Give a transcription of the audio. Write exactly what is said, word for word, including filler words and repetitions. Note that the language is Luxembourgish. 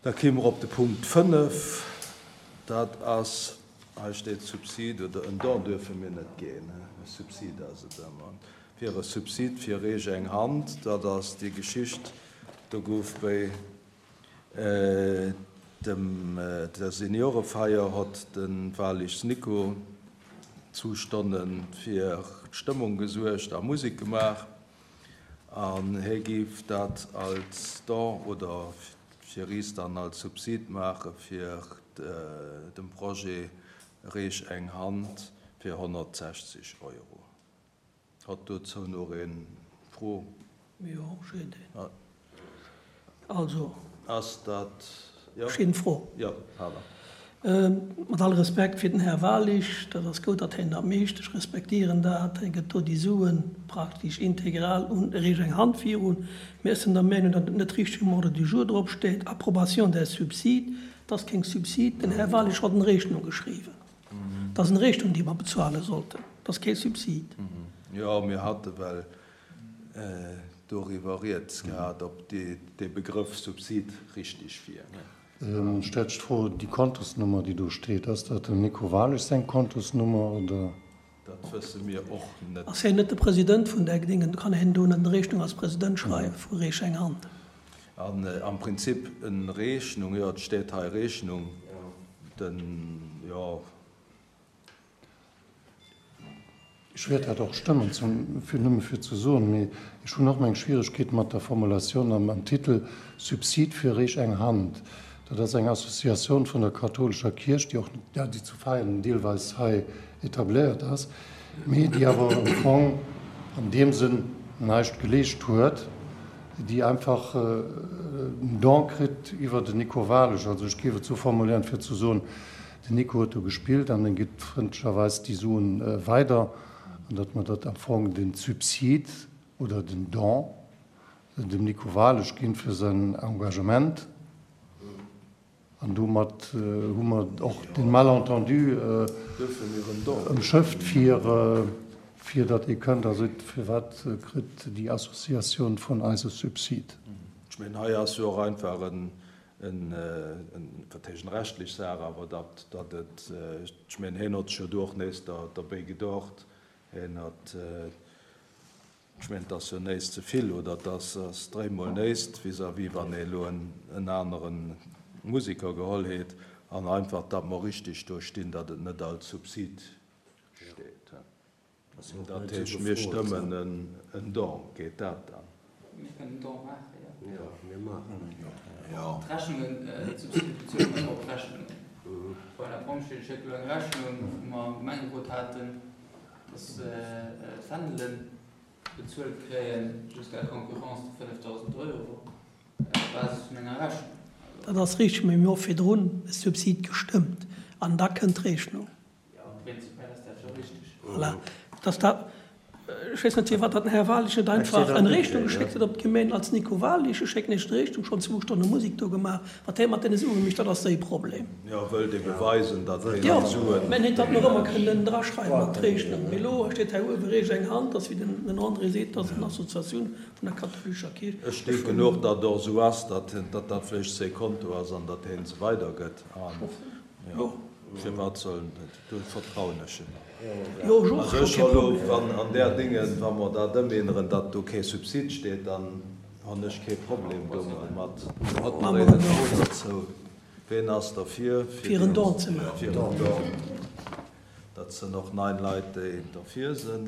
Da kéime mer op de Punkt fënnef. Dat ass, hei steet Subsid oder en Don duerfe mir net ginn, e Subsid ass et ëmmer, fir e Subsid fir Reech eng Hand. Dat ass déi Geschicht, do gouf bei dem der Seniorefeier hott de Walichs Nico zu Stonne fir d'Stëmmung gesuergt a Musek gemaach an hie géif dat als Don oder fir is dann als Subsid maache fir dem Projet Reech eng Hand fir honnertsechzeg Euro. Hott dozou nach een Fro? Jo, ech hunn een. Also. Ass dat, jo? Ech hunn eng Fro. Jo, pardon. Mat all Respekt fir den Här Walisch, dat ass gutt, datt hien dat mécht, ech respektieren dat, hie gëtt do déi Sue praktesch integral un Reech eng Hand virun, mä ech sinn der Meinung, datt et net richteg um Ordre du jour drop steet, Approbation des subsides. Et ass keng Subsid, den Här Walisch hott en Rechnung geschriwwen. Et ass en Rechnung, déi mer bezuale sollten, et ass kee Subsid. Jo, mir hate well doriwwer rieds gehat, ob dee Begrëff Subsid richtig wier. Stellt sech d'Fro, déi Kontosnummer, déi do steet, ass dat dem Nico Walisch seng Kontosnummer oder? Dat wësse mir och net. Ass hien net de President vun där Gedéngen, kann hien do net en Rechnung als President schreiwen vu Reech eng Hand? An am Prinzip en Rechnung, jo, et steet hei Rechnung, den, jo. Ech wäert dat och stëmmen, fir nëmme fir ze soen, mee ech hunn och meng Schwieregkeete mat der Formulatioun am Titel Subsid fir Reech eng Hand. Dat ass eng Associatioun vun der kathoulescher Kierch, déi och, ja, déi zu Veien deelweis hei etabléiert ass, mee déi awer am Fong an deem Sënn näischt geleescht huet, déi einfach en Don kritt iwwer den Nico Walesch. Also ech géif et esou formuléieren, fir ze soen, Den Nico huet do gespillt an en gitt frëndlecherweis déi Suen weider, an datt mer dat am Fong den Subsid oder den Don dem Nico Walesch ginn fir säin Engagement. An domat hu mer och den Malentendu ëmschëfft, fir fir datt ee kënnt a seet, firwat kritt déi Associatioun vun eis e Subsid? Ech mengen, hei ass jo och einfach en en, wat heescht en rechtlech Saach, awer datt, datt et, ech mengen, hien hott sech jo do och nees derbéi gedocht, hien hat, ech mengen, et ass jo néist ze vill oder et ass, ass dréimol néist vis-à-vis wann ee elo en, en anere Musiker geholl hätt, an einfach, datt mer richtig do stinn, datt et net als Subsid steet. Dat heescht, mir stëmmen en Don. Geet dat dann? Mir kënnen en Don maachen, jo. Jo, mir maachen en Don. Jo. D'Rechnungen, d'Subside bezuele mer ëmmer op Rechnungen. Voilà, d'Pompjeeë schécke elo eng Rechnung, wou mer am Gemengerot haten, dass se d'Fändele bezuelt kréien, jusqu'à concurrence de fënnefdausend Euro, op Basis vun enger Rechnung. Dat ass richteg, mee mir hu virdrun e Subsid gestëmmt an da kënnt d'Rechnung. Jo, prinzipiell ass dat jo richteg. Voilà, dass dat, ech weess net firwat datt den Här Walisch net einfach en Rechnung geschéckt huet op d'Gemeen als Nico Walisch. Ech schécken Iech d'Rechnung, schonn zwou Stonne Musek do gemaach. Wat hie mat deene Sue mécht, dat ass säi Problem. Jo, wëllt ee beweisen, datt hien déi Suen. Jo, mä en hätt dat nach ëmmer kënnen draschreiwen an d'Rechnung. Mee elo steet hei uewe Reech eng Hand, ass wéi den André seet, dat ass eng Associatioun vun der kathoulescher Kierch. Ech denken och, datt och esou ass, datt dat vläicht säi Konto ass an datt hien se weidergëtt. Jo, firwat soll en net? Do vertrauen ech him. Jo, ech och. Also ech hu lo, wann an där Déngen, wa mer dat ëmänneren, datt do kee Subsid steet, dann hunn ech kee Problem domat. Hat mer een Fro dozou? Ween ass derfir, fir en Don ze maachen? Fir en Don. Dat sinn och neun Leit, déi derfir sinn.